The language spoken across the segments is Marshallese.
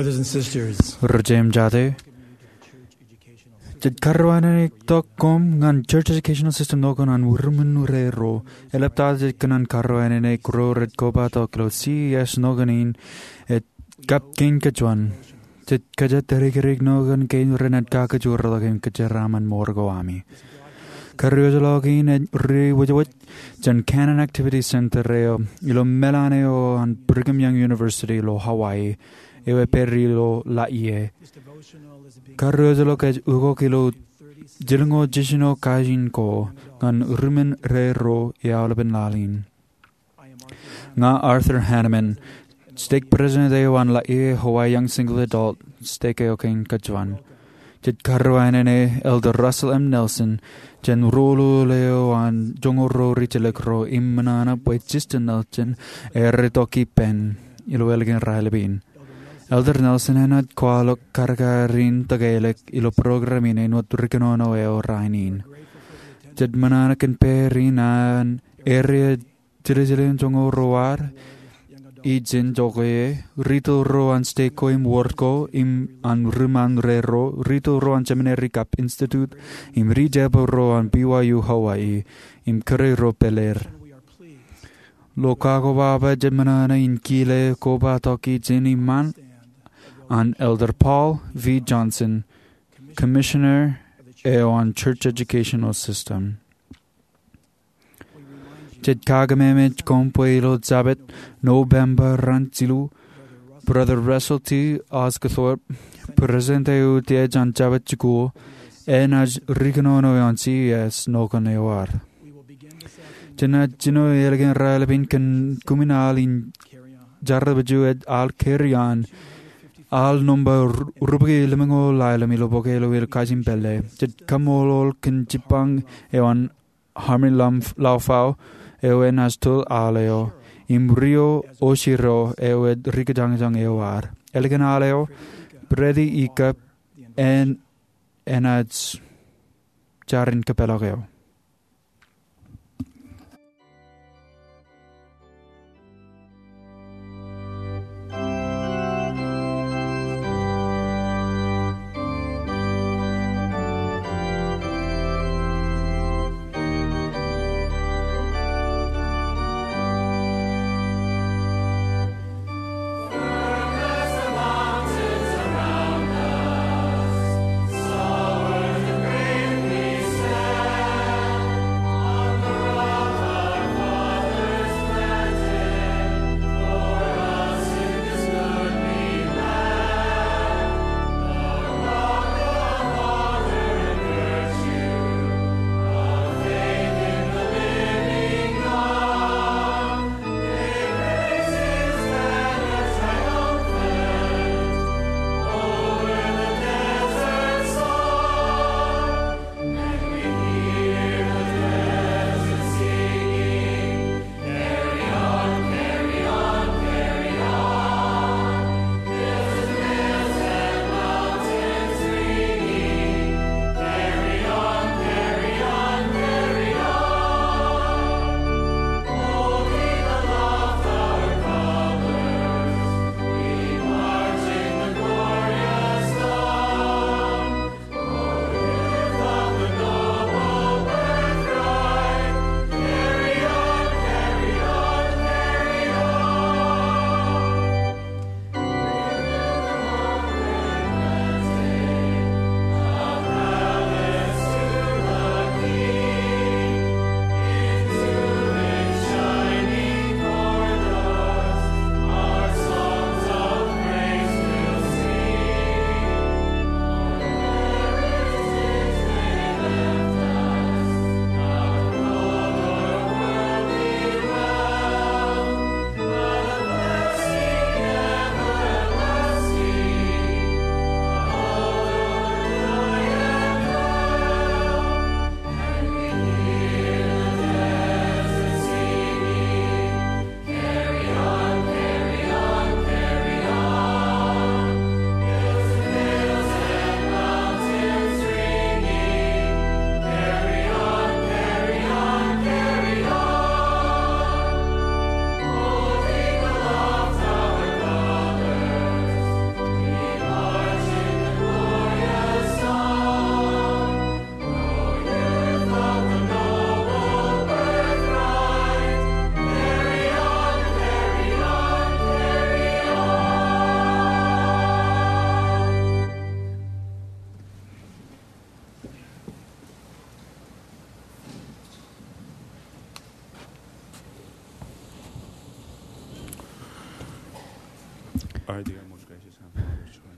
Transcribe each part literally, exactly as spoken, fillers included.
Brothers and sisters, ri-jeim jate, jen karreoanene tok koṃ ñan Church Educational System ṇo kōn an ri-ṃwinnūrero. Eḷaptata jej kōṇaan karreoanene ro rej kobatok ilo C E S ṇo kōn in, ej kab kein kōjuon. Jej kōjatdikdik ṇo kōn kein renaaj kakajoor ḷọk im kōjeraaṃṃan mour ko ami. Karreoḷọk in ej ri-wōjwōj jān Cannon Activities Center eo ilo meḷan eo an Brigham Young University ilo Hawaii, eo ej pād ilo Laie. Karreoḷọk ej ukok ilo jilñoul jiljino kajin ko ñan ri-ṃwinnūrero i aolepen laḷ in. Ña Arthur Hanneman, stake president eo an Laie Hawaii Young Single Adult, stake eo kein kōjuon. Jej karreoanene Elder Russell M. Nelson jān ro ḷoḷ eo an joñoul ro ri-jelōk ro im ṃōṇōṇō bwe Justin Nelson erretok ippān ilo ālikin raelep in. Elder Nelson enaaj kwaḷọk karkar in tōkeḷọk ilo program in āinwōt ri-kōnono eo rainin. Jej ṃōṇōṇō kōn pād in an erreo jiljilimjuonñoul ruo ad, ijin jokwe, rūtto ro an stake ko im wōr ko, im an ri-ṃwinnūrero, rūtto ro an seminary kab institute, im ri-jebō ro an B Y U Hawaii, im kōrā ro pād er. Ilo kakobaba jej ṃōṇōṇō in kile kobatok ijin iṃaan an Elder Paul V. Johnson, Commissioner eo an Church Educational System. Jej kakememej koṃ bwe ilo Jabōt Nobemba raṇ jilu, Brother Russell T. Osguthorpe, President eo utiej an Jabōt Jikuuḷ, enaaj ri-kōnono eo an C E S ṇo kōn eo ad. Jenaaj jino ālikin raelep in kōn kumin al in Jarrabiju ej al Carry On, al nōṃba ru-, rubukwi lemñoul ḷalem ilo bōk eo ilo kajin pālle. Jej kaṃṃoolol kōn jibbañ eo an Harmony Lam-, Laufau, eo enaaj tōl al eo, im Rio Oshiro, eo ej ri-kōjañjañ eo ad. Ālikin al eo, Brady Ika, en, enaaj jar in kōpeḷḷọk eō.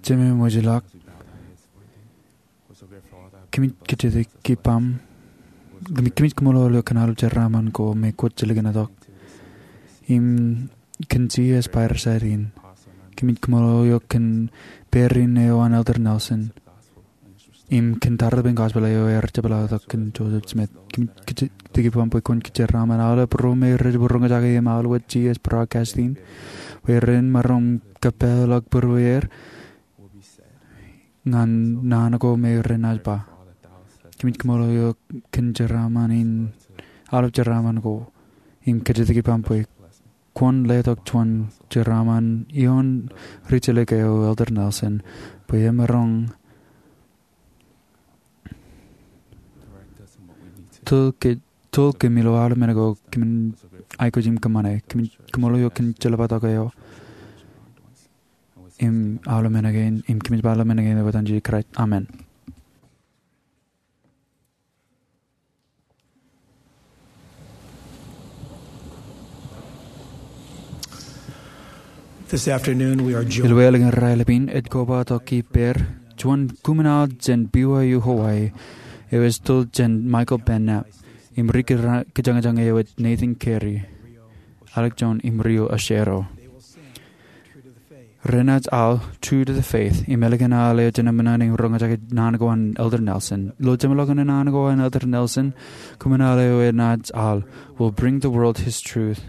Jemem wōj ilọk, kōmij kōjatdikdik ippaṃ, kōmij, kōmij kaṃṃoolol eok kōn aolep jeraaṃṃan ko me kwōj jilkintok im kōn Jisōs Kraist in. Kōmij kaṃṃoolol eok kōn pād in eo an Elder Nelson im kōn tarrin gospel eo ear jepḷaaktok kōn Joseph Smith. Kōmij kōjatdikdik ippaṃ bwe kwōn kōjeraaṃṃan aolep ro me rej roñjake im aolep Jisōs Broadcasting bwe ren maroñ kōpeḷḷọk būrueir ñan naan ko me renaaj ba. Kōmij kaṃṃoolol eok kōn jeraaṃṃan in, aolep jeraaṃṃan ko, im kōjatdikdik ippaṃ bwe kwōn letok juon jeraaṃṃan ioon rijjelōk eo, Elder Nelson, bwe emaroñ tōl ke, tōl kōm ilo aolep men ko kōmin aikuj im kōṃṃane. Kōmij kaṃṃoolol eok kōn jeḷā tok eo im aolep men kein, im kōmij ba aolep men kein ilo etan Jisōs Kraist. Amen. This afternoon, we are joined Ilo elōñ in raelep in, ej kobatok ippāer juon kōṃṃan aḷ jān B Y U Hawaii, eo ej tōl jān Michael Bednar, im ri-kōjañjañ eo ej Nathan Carey, Alec Jones im Rio Oshiro. Renaaj aḷ, True to the Faith, im ālikin aḷ eo jenaaj ṃōṇōṇō in roñjake naan ko an Elder Nelson. Ilo jeṃḷọkin naan ko an Elder Nelson, kōṃṃan aḷ eo enaaj aḷ Will Bring the World His Truth.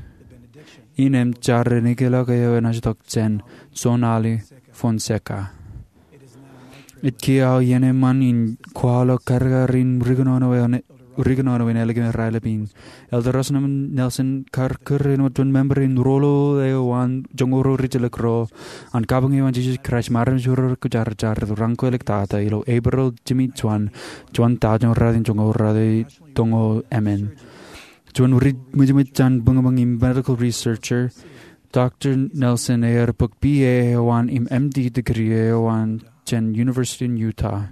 Innem jar in ikōḷọk eo enaaj tok jān John Ollie Fonseca. Ej kiiō aō iien eṃṃan in kwaḷọk karkar in ri kōnono eo an, ri kōnono in ālikin raelep in. Elder Russell M. Nelson kar kūr in wōt juon member in rōḷḷap eo an joñoul ruo rijjelōk ro an kabuñ eo an Jisōs Kraist im armej ro rekwōjarjar raṇ ko āliktata ilo April jimjuon, juon taujin ruatimjuonñoul ruatimjuonñoul emān. Juon ri-, ṃwijṃwij jān buñbuñ im medical researcher, Doctor Nelson ear bōk B A eo an im M D degree eo an jān University in Utah.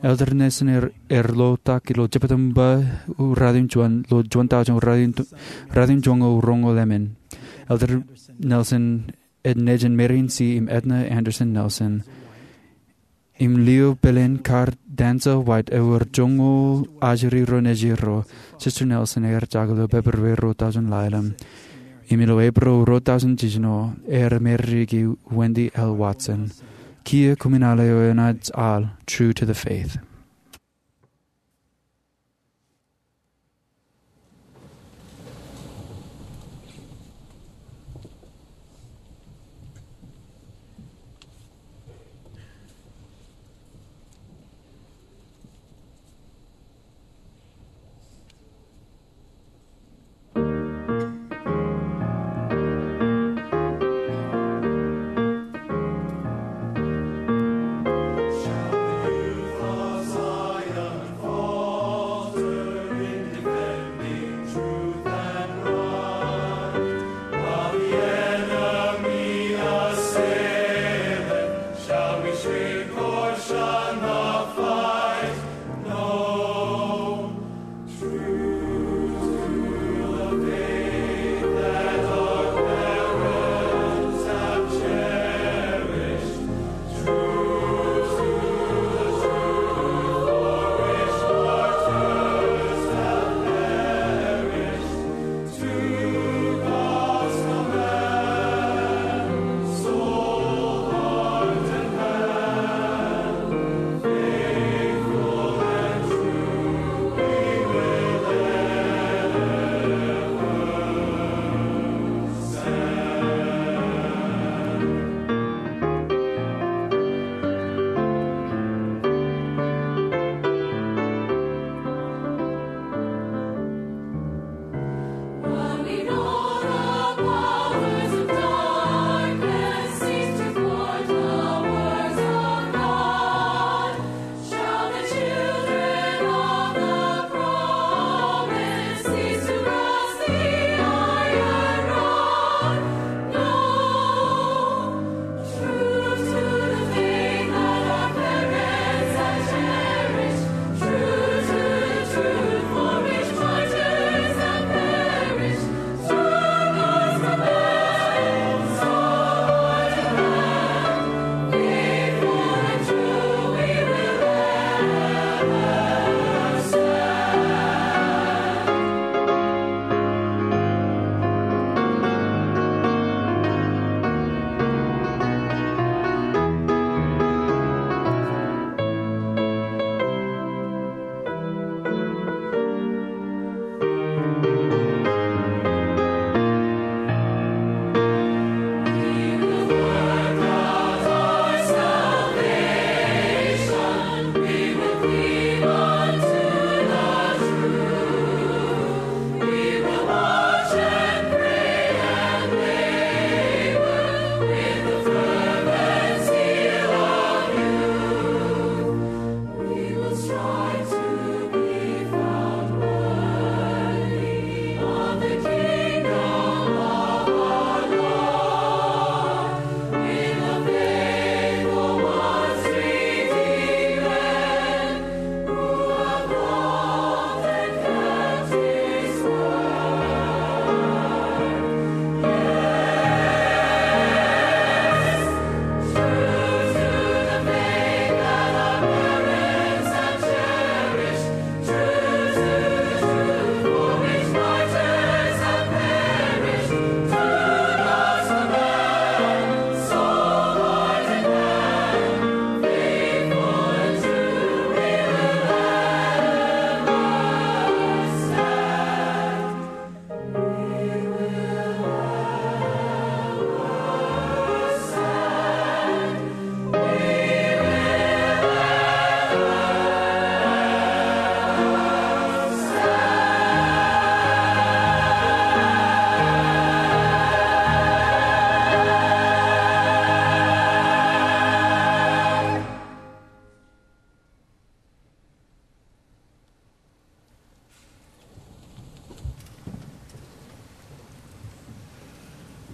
Elder Nelson ear, ear ḷotak ilo Jeptamba ruatimjuon, ilo juon taujin ruatimjuonñoul roñoul emān. Elder Nelson ej nejin Marion C. im Edna Anderson Nelson. Im lio pāleen kar Denzel White ewōr joñoul ajri ro nejirro. Sister Nelson ear jaḷ ilo Pebruary ruo taujin ḷalem. Im ilo April ruo taujin jiljino, ear marriage e Wendy L. Watson. Kiiō kōṃṃan aḷ eo enaaj aḷ, True to the Faith.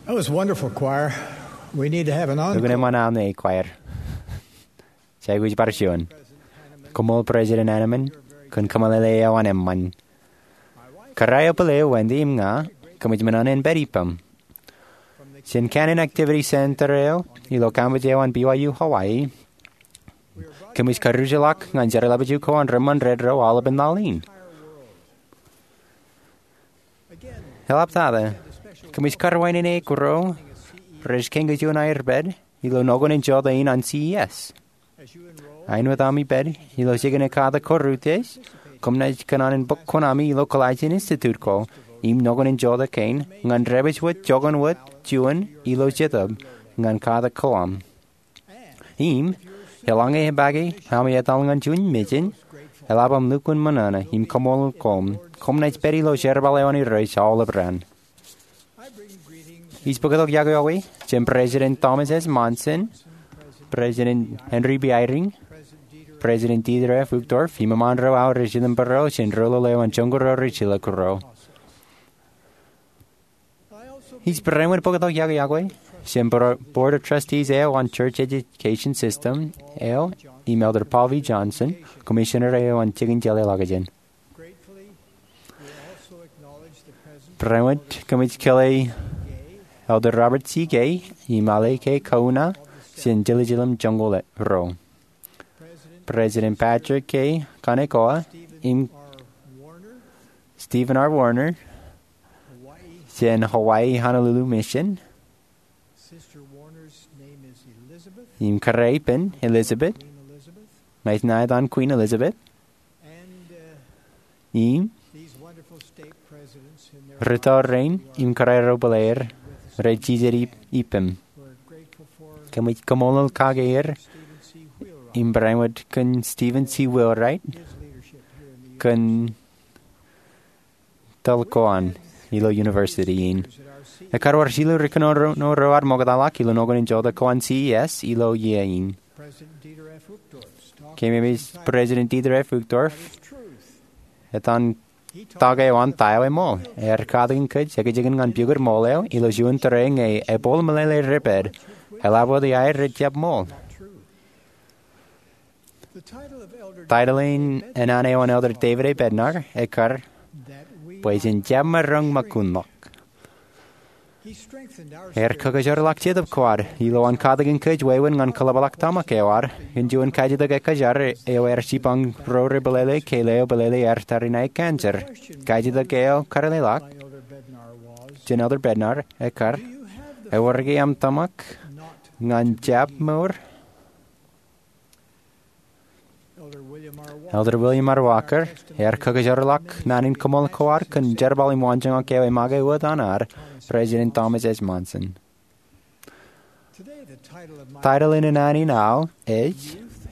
That was wonderful, choir. We need to have an encore. Lukkuun eṃṃan aolep, choir. Jej aikuj bar juon. Koṃṃool President Hanneman kōn kōmeḷeḷe eo an eṃṃan. Kōrā eo bōl eō, Wendy, im ña, kōmij ṃōṇōṇō in pād ippām. Jān kaṇe in activity center eo ilo campus eo an B Y U Hawaii, kōmij karūtḷọk ñan jeorḷapaju ko an reṃṃan redro aolepān laḷ in. Eḷaptata, kōmij karwaineneik ro rej kañin juon aer pād ilo nokwe in jota in an C E S. Āinwōt ami pād ilo jikin ekkatak ko rūtiej, koṃ naaj kōṇaan in bōk kuṇaami ilo Colossian Institute ko im nokwe in jota kein ñan dāpij wōt joñan wōt juon ilo jetōb ñan katak ko aṃ. Im, eḷaññe epaake ami etal ñan juon mejān, eḷap aṃ lukkuun ṃōṇōṇō im kaṃṃoolol koṃ, koṃ naaj pād ilo jerbal eo an Irooj aolep raan. Ij bōktok iọkwe jān President Thomas S. Monson, President Henry B. Eyring, President Dieter F. Uchtdorf, im eṃṃaan ro aō rej item bōro jān roḷoḷ eo an joñoul ro rej ilọk ro. Ij barāinwōt bōktok iọkwe jān Board of Trustees eo an Church Education System eo im Elder Paul V. Johnson, Commissioner eo an jikin jeḷāḷọkjeṇ. Barāinwōt kōmij kōḷḷā Elder Robert C. Gay im Āle K. Kauna jān jiljilimjuon joñoul ro. President Patrick K. Kanekoa im Stephen R. Warner jān Hawaii Honolulu Mission. Im kōrā ippān Elizabeth, ṇa ij ṇa etan Queen Elizabeth. Im rūtto rein im kōrā ro bōl aer rej jijet ippām. Kōmij kaṃṃoolol kake er im barāinwōt kōn Stephen C. Wheelwright kōn tōl ko an ilo university in. Ekkar wōr jilu ri-kōnono ro ad ṃoktaḷọk ilo nokwe in jota ko an C E S ilo iiō in. Kōmij eṃōj President Dieter F. Uchtdorf etan tok eo an ta eo eṃool. Ear katakin kōj ekōjkan ñan pukot ṃool eo ilo juon tōre ñe ebooḷ meḷeḷe rej pād, eḷap wōt iaer rej jab ṃool. Title in an eo an Elder David A. Bednar ekkar bwe jen jab maroñ ṃōkunḷọk. Ear kakōjorḷọk jetōb ko ad ilo an katakin kōj wāween ñan kōḷapḷọk tōmak eo ad kōn juon kajjitōk ekkōjar eo ear jipañ ro rej bōlele ke leo bōlele ear tariṇae cancer. Kajjitōk eo karuleḷọk jān Elder Bednar ekkar, ewōr ke aṃ tōmak ñan jab mour? Elder William R. Walker ear kakōjorḷọk naan in koṃṃool ko ad kōn jerbal im waanjoñak eo emake wōt an ad, President Thomas S. Monson. Title in an aō ej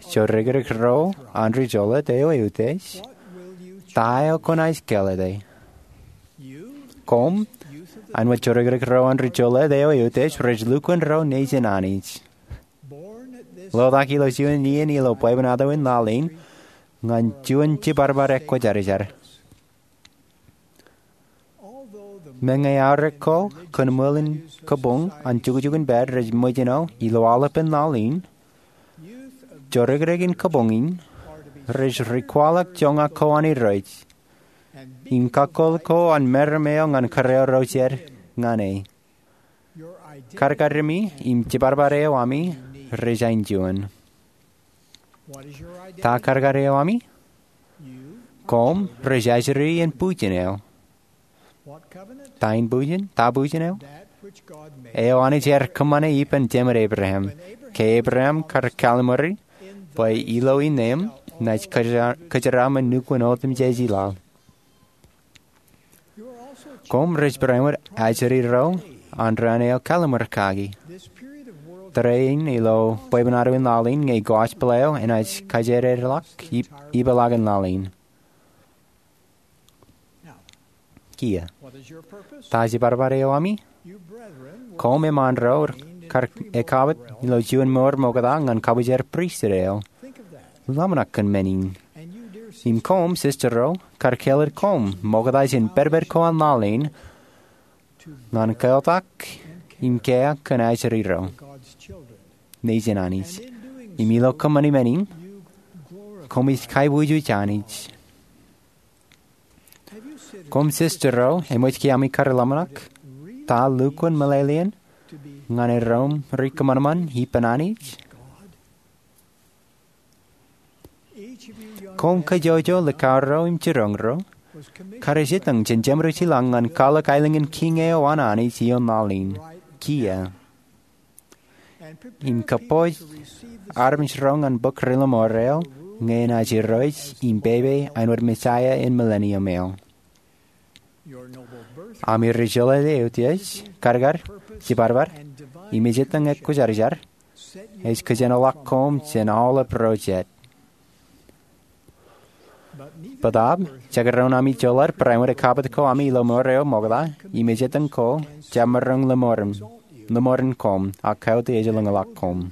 Jorikrek Ro an Ri Jolōt Eo Eutiej, Ta Eo Kwōnaaj Kāālōte? Koṃ, āinwōt jorikrek ro an Ri Jolōt Eo Eutiej, rej lukkuun ro nejin Anij. Ḷotak ilo juon iien ilo bwebwenato in laḷ in ñan juon jibadbad ekwōjarjar. Meñe aorōk ko kōn ṃōl in kabuñ an jukjuk in pād rej ṃōjṇọ ilo aolepān laḷ in, jorikrek in kabuñ in rej ri kwaḷọk joñak ko an Irooj im kakōḷ ko an meram eo ñan kōrā ro jed ñan e. Kadkademi im jibadbad eo ami rej aenjuon. Ta kadkad eo ami? Koṃ rej ajri iien bujen eo. Ta in bujen? Ta bujen eo? Eo Anij ear kōṃṃane ippān jemād Ebream. Ke Ebream kar kallim̧uri bwe ilo innem naaj kōjeraṃ, kōjeraṃ ñan nukun otemjej i laḷ. Koṃ rej barāinwōt ajri ro an raan eo kallim̧ur kaki. Tōre in ilo bwebwenato in laḷ in ñe gospel eo enaaj kajeededḷọk ip-, ipeḷaakin laḷ in. Kiiō. Ta jibadbad eo ami? Koṃ eṃṃaan ro kar ekabwit ilo juon mour ṃokta ñan kabwijer pristut eo. Ḷōmṇak kōn men in. Im koṃ, sister ro, kar kāālōt koṃ ṃokta jān pedped ko an laḷ in ñan keotak im kea kōn ajri ro nejin Anij. Im ilo kōṃṃani men in, koṃij kaibujuj Anij. Koṃ sisters ro eṃōj ke ami kar ḷōmṇak ta lukkuun meḷeḷein ñan erom ri kōṃanṃan ippān Anij? Koṃ kajjojo likao ro im jiroñ ro kar ej jitōñ jān jemed eo jilañ ñan kwaḷọk aelōñ in Kiiñ eo an Anij ioon laḷ in, kiiō, im kōpooj armej ro ñan bōk ri-lọmọọr eo ñe enaaj irooj im pepe āinwōt Messiah in millennium eo. Ami ri-jolōt eutiej, kadkad, jibadbad, im ejitōñ ekwōjarjar ej kōjenolọk koṃ jān aolep ro jet. Bōtaab, jekdọọn ami jolōt barāinwōt kabbokbok ko ami ilo mour eo ṃokta im ejitōñ ko, jab maroñ lọmọọren koṃ, ak kautiej ej lōñḷọk koṃ.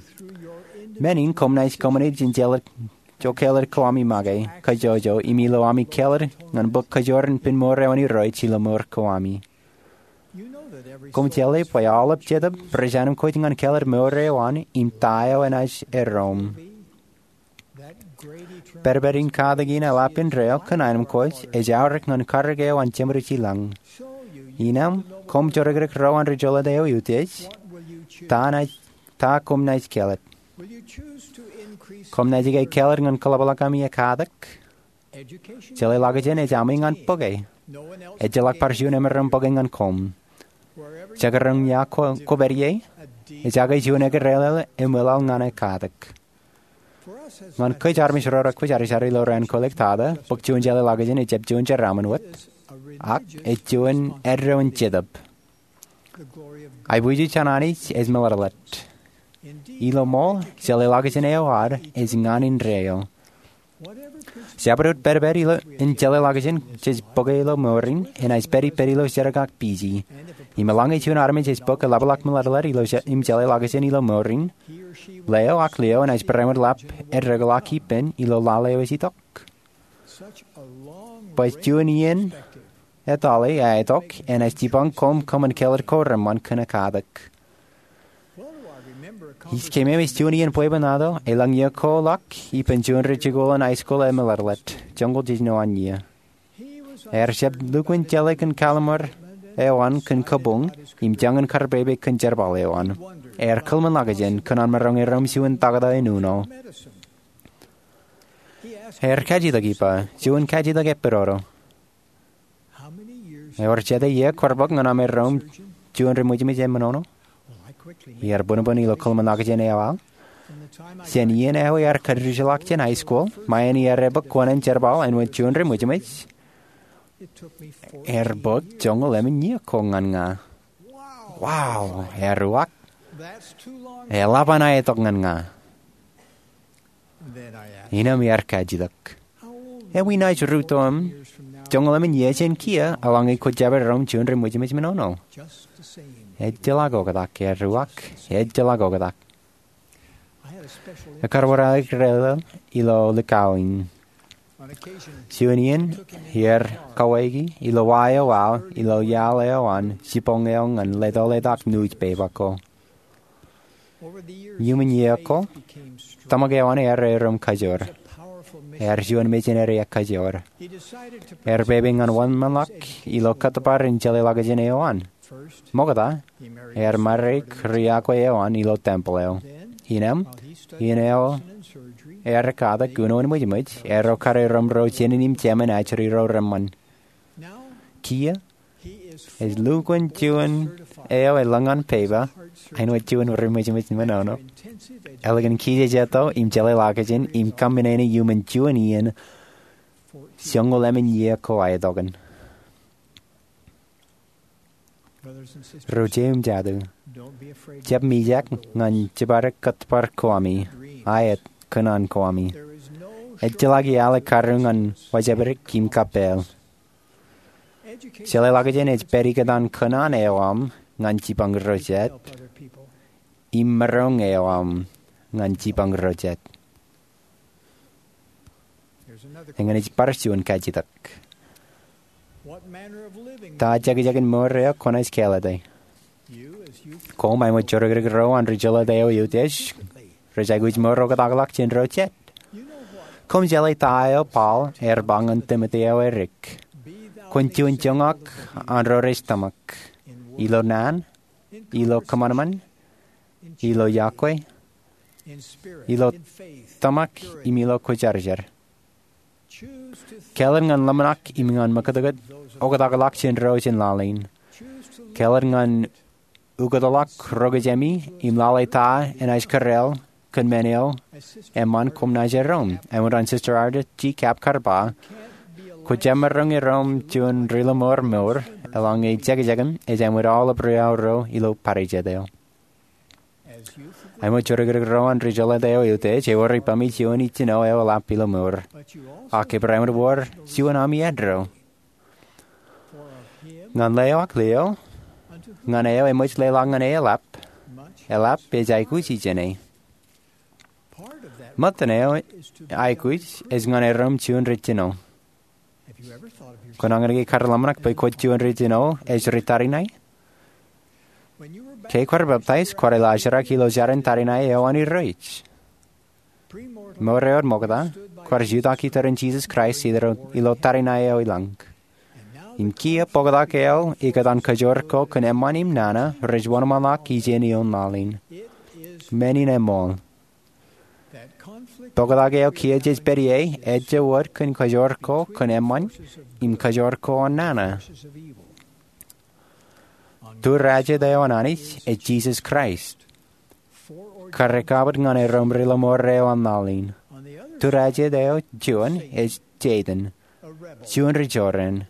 Men in koṃ naaj kōṃṃane jān jelōt ko ami make, kajjojo, im ilo ami kāālōt ñan bōk kajoor in pen mour eo an Irooj ilo mour ko ami. Koṃ jeḷā bwe aolep jetōb rej anemkwōj ñan kāālōt mour eo an im ta eo enaaj erom. Pedped in katak in eḷap indeeo kōn anemkwōj ej aorōk ñan karōk eo an jemed eo jilañ. Innām, koṃ jodikdik ro an ri-jolōt eo eutiej, ta koṃ naaj kāālōt? Koṃ naaj ke kāālōt ñan kaḷapḷọk ami ekatak? Jeḷā ḷọkjein ej ami ñan bōke. Ejjeḷọk bar juon emaroñ bōke ñan koṃ. Jekdọọn ia kwō pād ie, ej aikuj juon ekrelel eṃwilaḷ ñan ekatak. Ñan kōj armej ro rekwōjarjar ilo raan kōlōk tata, bōk juon jeḷā ḷọkjein ejjab juon jeraaṃṃan wōt, ak ej juon eddo in jetōb. Aiboojoj an Anij ej meḷeḷet. Ilo ṃool, jeḷā ḷọkjein eo ad ej ñan indeeo. Jabdewōt pedped in jeḷā ḷọkjein jej bōke ilo mour in enaaj pād ippād ilo jerkak pije. Im eḷaññe juon armej ej bōk eḷapḷọk meḷeḷet im jeḷā ḷọkjein ilo mour in, leo ak lio enaaj barāinwōt ḷap eddeḷọk ippān ilo laḷ eo ej itok. Bwe juon iien etale aetok enaaj jipañ koṃ kōṃṃan kāālōt ko reṃṃan kōn ekatak. Ij keememej juon iien bwebwenato elōñ iiō ko ḷọk ippān juon rijikuuḷ in high school emeḷeḷet, joñoul jiljino an iiō. Ear jab lukkuun jeḷā kōn kalimur eo an kōn kabuñ im jañin kar pepe kōn jerbal eo an. Ear kōḷmānḷọkjein kōn an maroñ erom juon taktō in uno. Ear kajjitōk ippa, juon kajjitōk epidodo: Ewōr jete iiō kwōr bōk ñan aṃ erom juon ri-ṃwijṃwij eṃṃanono? Iar bōnbōn ilo kōḷmānḷọkjein eo aō. Jān iien eo ear kajjitōk jān high school, ṃae in iar ebōk kuwānōn jerbal āinwōt juon ri-ṃwijṃwij, ear bōk joñoul emān iiō ko ñan ña. Wow, ear uwaak. Eḷap an aetok ñan ña. Innām iar kajjitōk, ewi naaj rūtto im joñoul emān iiō jān kiiō eḷaññe kwō jab erom juon ri-ṃwijṃwij menono? Ejjeḷọk oktak, ear uwaak. Ejjeḷọk oktak. Ekar wōr aō ekrelel ilo likao in. Juon iien, iar kawōki ilo wa eo aō ilo iaḷ eo an jiboñ eo ñan leto letak newspaper ko. Iuṃwin iiō ko, tōmak eo an ear erom kajoor. Ear juon mejān eo ekajoor. Ear pepe ñan wōnṃaanḷọk ilo kōttōpar in jeḷā ḷọkjein eo an. Ṃokta, ear maroñ ri-akwe eo an ilo tempel eo. Innām, iien eo ear katak uno in ṃwijṃwij, erro kar erom ro jānin im jāmin ajri ro reṃṃan. Kiiō, ej lukkuun juon eo elōñ an peba āinwōt juon ri-ṃwijṃwij menono. Ālikin kijejeto im jeḷā ḷọkjein im kōṃṃane iuṃwin juon iien joñoul emān iiō ko aetokan. Ro jet im jatū, jab mijak ñan jipadik kōttōpar ko ami, aet, kōṇaan ko ami. Ejjeḷọk iaḷ ekaruñ ñan wōjāpidik im kappāāl. Jeḷā ḷọkjein ej pād ikōtaan kōṇaan eo aṃ ñan jipañ ro jet im maroñ eo aṃ ñan jipañ ro jet. Eñin ej bar juon kajjitōk. Ta jekjekin mour eo kwōnaaj kāālōte? Koṃ āinwōt jorikrōk ro an ri jeḷā eo eutiej rej aikuj mour oktakḷọk jān ro jet. Koṃ jeḷā ta eo Paul ear ba ñan Timote eo erik: Kwōn juon joñak an ro rej tōmak, ilo naan, ilo kōṃanṃan, ilo yokwe, ilo tōmak im ilo kwōjarjar. Kāālōt ñan ḷōmṇak im ñan ṃakūtkūt oktakḷọk jān ro jen laḷ in. Kāālōt ñan ukōtḷọk ro kōjām im lale ta enaaj kōrā kōn men eo eṃṃan koṃ naaj erom. Āinwōt an Sister Arlette G. Camp kar ba, kwōjemaroñ erom juon ri-lọmọọr mour eḷaññe jekjekim ej āinwōt aolep ri-aorro ilo parijet eo. Āinwōt jorikrōk ro an ri jeḷā eo eutiej, ewōr ippaṃ juon ijjino eo eḷap ilo mour. Ak ebar āinwōt wōr juon ami eddo. Ñan leo ak leo, ñan eo eṃōj leḷọk ñan e eḷap, eḷap ej aikuji jāne. Ṃōttan eo aikuj ej ñan erom juon ri jino. Kwōnañin ke kar ḷōmṇak bwe kwōj juon ri jino ej ri tariṇae? Ke kwaar peptaij, kwaar ilo ajrak ilo jarin tariṇae eo an Irooj. Mour eo eṃōkaj, kwaar jutak iturin Jisōs Kraist ilo tariṇae eo ilañ. Im kiiō bōktak eo ikōtaan kajoor ko kōn eṃṃan im nana rej wōnṃaanḷọk ijeṇ ioon laḷ in. Men in eṃool. Bōktak eo kiiō jej pād ie ejjab wōt kōn kajoor ko kōn eṃṃan im kajoor ko an nana. Tūrājjet eo an Anij ej Jisōs Kraist, kar ekabbwit ñan erom ri-lọmọọr eo an laḷ in. Tūrājjet eo juon ej Setan, juon ri jorrāān,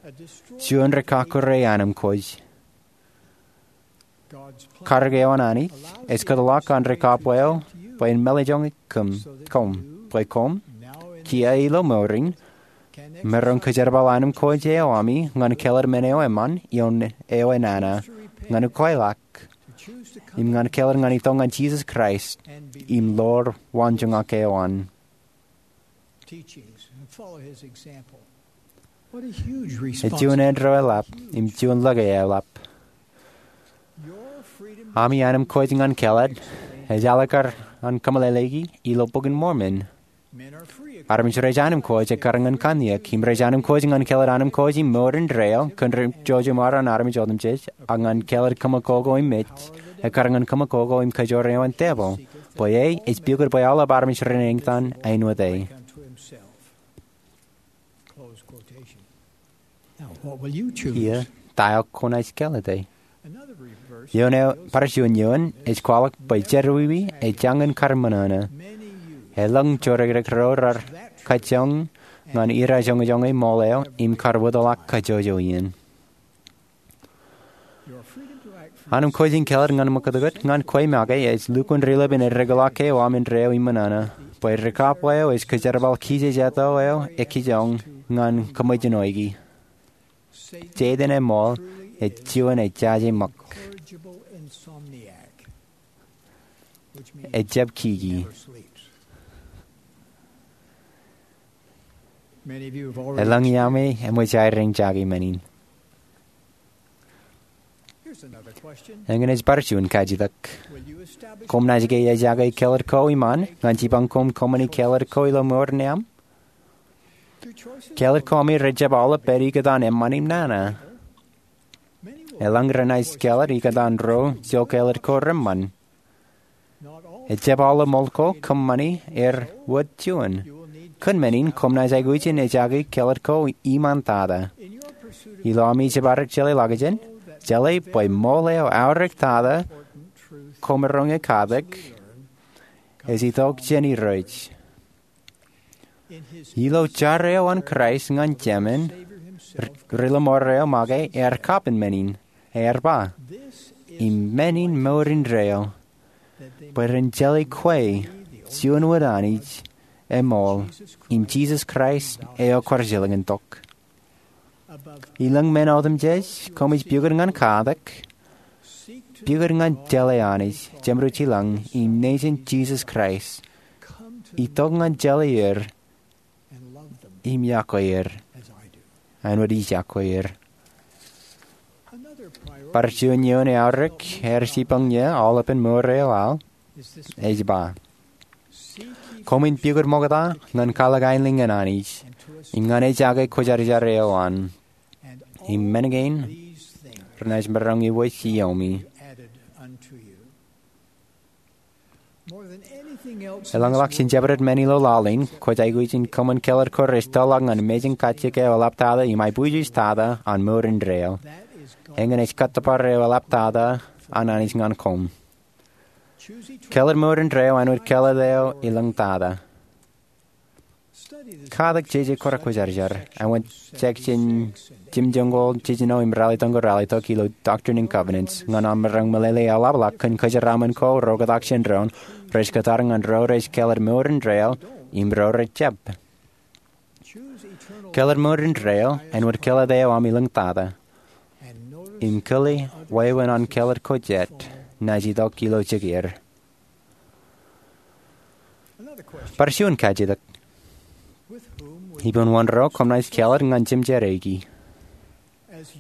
juon ri kakkure anemkwōj. Karōk eo an Anij ej kōtḷọk an ri kab eo bwe en mālejjoñe koṃ, bwe koṃ, kiiō ilo mour in, maroñ kajerbal anemkwōj eo ami ñan kāālōt men eo eṃṃan im eo enana, ñan ukweḷọk, im ñan kāālōt ñan itok ñan Jisōs Kraist im ḷoor waanjoñak eo an. Ej juon eddo eḷap im juon lōke eḷap. Ami anemkwōj ñan kāālōt ej alikkar an kōmeḷeḷeiki ilo Bok in Mormon. Armej rej anemkwōj ekkar ñan kanniōk, im rej anemkwōj ñan kāālōt anemkwōj im mour indeeo kōn ri jouj im bar an armej otemjej, ak ñan kāālōt kōṃakoko im mej, ekkar ñan kōṃakoko im kajoor eo an tepil. Bwe e ej pukot bwe aolep armej renañin āinwōt e. Kiiō, ta eo kwōnaaj kāālōte? Eoon eo, bar juon eoon ej kwaḷọk bwe jerọwiwi ej jañin kar ṃōṇōṇō. Elōñ jorikrōk ro raar kajjoñ ñan irajjoñojoñe ṃool eo im kar wōtlọk kajjojo iien. Anemkwōj in kāālōt ñan ṃakūtkūt ñan kwe make ej lukkuun ri-lōb in eddekḷọk ke eo aṃ indeeo im ṃōṇōṇō, bwe ri kab eo ej kajerbal kijejeto eo ekijjoñ ñan kōṃōjṇoiki. Setan eṃool ej juon ejjaje ṃōk. Ejjab kiki. Elōñ iaami eṃōj aer eñjake men in. Eñin ej bar juon kajjitōk. Koṃ naaj ke ejjake kāālōt ko iṃaan ñan jipañ koṃ kōṃṃani kāālōt ko ilo mour in aṃ? Kāālōt ko ami rejjab aolep pād ikōtaan eṃṃan im nana. Elōñ renaaj kāālōt ikōtaan ro ijo kāālōt ko reṃṃan. Ejjab aolep ṃool ko kōṃṃani er wōt juon. Kōn men in koṃ naaj aikuj in ejjake kāālōt ko iṃaan tata. Ilo ami jab arōk jeḷā ḷọkjeṇ, jeḷā bwe ṃool eo aorōk tata koṃ maroñ in katak ej itok jān Irooj. Ilo jar eo an Kraist ñan Jemān, ri-lọmọọr eo make ear kapen men in, ear ba, im men in mour indeeo, bwe ren jeḷā kwe juon wōt Anij eṃool, im Jisōs Kraist eo kwaar jilkintok. Ilōñ men otemjej koṃij pukot ñan katak, pukot ñan jeḷā Anij Jemdewōt Ilañ im Nejin Jisōs Kraist. Itok ñan jeḷā er im iọkwe er āinwōt ij iọkwe er. Bar juon eoon eaorōk ear jibboñ ie aolepān mour eo aō ej ba, koṃwin pukot ṃokta ñan kwaḷọk aelōñ an Anij im ñan ejake kwōjarjar eo an, im men kein renaaj maroñ iwōj iomi. Eḷaññe ḷọk jān jabdewōt men ilo laḷ in, kwōj aikuj in kōṃṃan kellet ko rej tōḷọk ñan mejān kajjitōk eo eḷaptata im aiboojoj tata an mour indeeo. Eñin ej kōttōpar eo eḷaptata an Anij ñan koṃ. Kellet mour indeeo āinwōt kellet eo elōñ tata. Katak jeje ko rekwōjarjar, āinwōt jekjān jimjuonñoul jejino im ralitōñoul ralitōk ilo Doctrine and Covenants, ñan aṃ maroñ meḷeḷe eḷapḷọk kōn kōjeraaṃṃan ko ro kōtak jān doon rej kōttar ñan ro rej kellet mour indeeo im ro rejjab. Kellet mour indeeo āinwōt kellet eo aṃ elōñ tata, im kōḷḷā wāween an kellet ko jet naaj itok ilo jikier. Bar juon kajjitōk. Ippān wōn ro koṃ naaj kellet ñan jemjerreiki?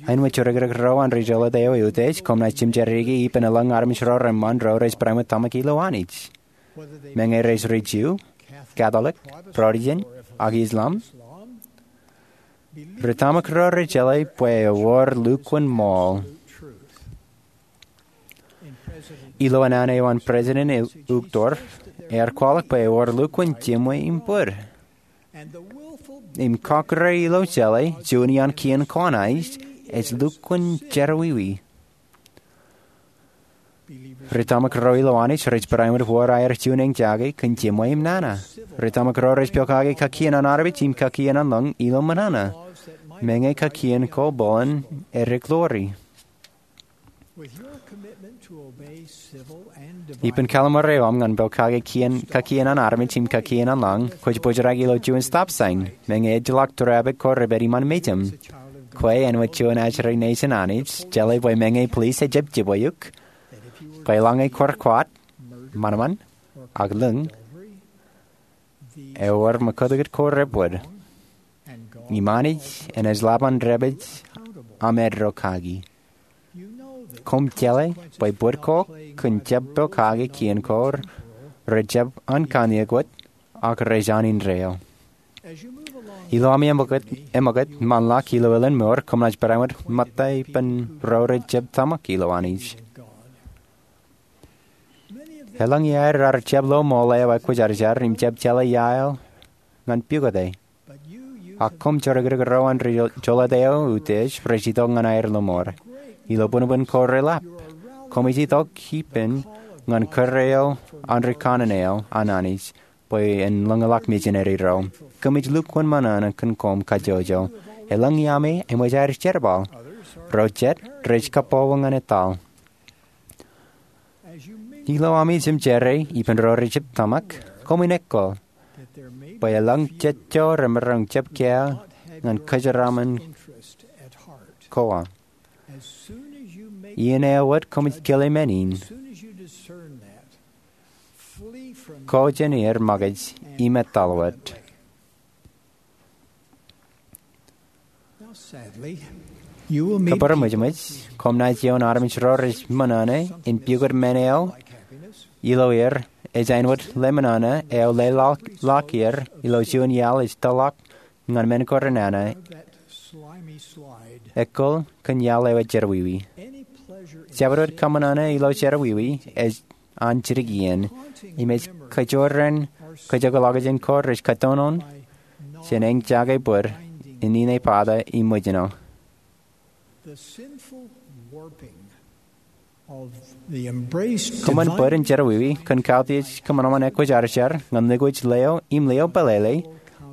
Āinwōt jorōkrōk ro an ri jolōt eo eutiej, koṃ naaj jemjerreiki ippān eḷaññe armej ro reṃṃan ro rej barāinwōt tōmak ilo Anij, meñe rej ri Ju, Katolik, Protestant, ak Islam. Ri tōmak ro rej jeḷā bwe ewōr lukkuun ṃool. Ilo naan eo an President Uchtdorf, ear kwaḷọk bwe ewōr lukkuun jimwe im bōd. Im kọkkure ilo jeḷā juon iaan kien ko an Anij ej lukkuun jerọwiwi. Ri tōmak ro ilo Anij rej barāinwōt wōr aer juon eñjake kōn jimwe im nana. Ri tōmak ro rej pokake kakien an armej im kakien an lañ ilo ṃōṇōṇō, meñe kakien ko bōlen edeklori. Ippān kalimur eo aṃ ñan pokake kakien an armej im kakien an lañ, kwōj bōjrak ilo juon stop sign, meñe ejjeḷọk traffic ko rej pād iṃaan mejaṃ. Kwe āinwōt juon ajri nejin Anij, jeḷā bwe meñe police ejjab jibwe eok, bwe eḷaññe kwōr kwaat, ṃanṃan, ak lōñ, ewōr ṃōkūtkūt ko rej bōd. Im Anij enaaj lap an dāpij aṃ eddo kaki. Koṃ jeḷā bwe bōd ko kōn jab pokake kien ko rejjab an kanniōk wōt ak rej an indeeo. Ilo ami eṃōkūt, eṃōkūt ṃaanḷọk ilo elōñ mour, koṃ naaj barāinwōt ṃōtta ippān ro rejjab tōmak ilo Anij. Eḷaññe aer ar jab lo ṃool eo ekwōjarjar im jab jeḷā iaer ñan pukot e. Ak koṃ jorōkrōk ro an ri jolōt eo eutiej rej itok ñan aer lo ṃool. Ilo buñbuñ ko reḷap, koṃij itok ippān ñan kūr eo an ri kanaan eo an Anij bwe en lōñḷọk misineri ro. Koṃij lukkuun ṃōṇōṇō kōn koṃ kajjojo. Eḷaññe ami eṃōj aer jerbal, ro jet rej kabbokbok ñan etal. Ilo ami jemjerrei ippān ro rejjab tōmak, koṃwin eggū bwe elōñ jejjo remaroñ jab kiiō ñan kōjeraaṃṃan ko aṃ. Iien eo wōt koṃij kile men in, ko jān er ṃōkaj im etal wōt. Kōbōrṃōjṃōj, koṃ naaj ioon armej ro rej ṃōṇōṇō in pukot men eo ilo er ej āinwōt leṃōṇōṇō eo leḷọk er ilo juon iaḷ ej tōḷọk ñan men ko renana, eggū kōn iaḷ eo ej jerọwiwi. Jabdewōt kōṃōṇōṇō ilo jerọwiwi ej an jidik iien, im ej kajoor in kajjojo ḷọkjeṇ ko rej kōttoṇoṇ jān eñjake bōd in ine pata im ṃōjṇọ. Kōṃṃan bōd in jerọwiwi kōn kautiej kōṃanṃan ekwōjarjar ñan liquid leo im leo pālele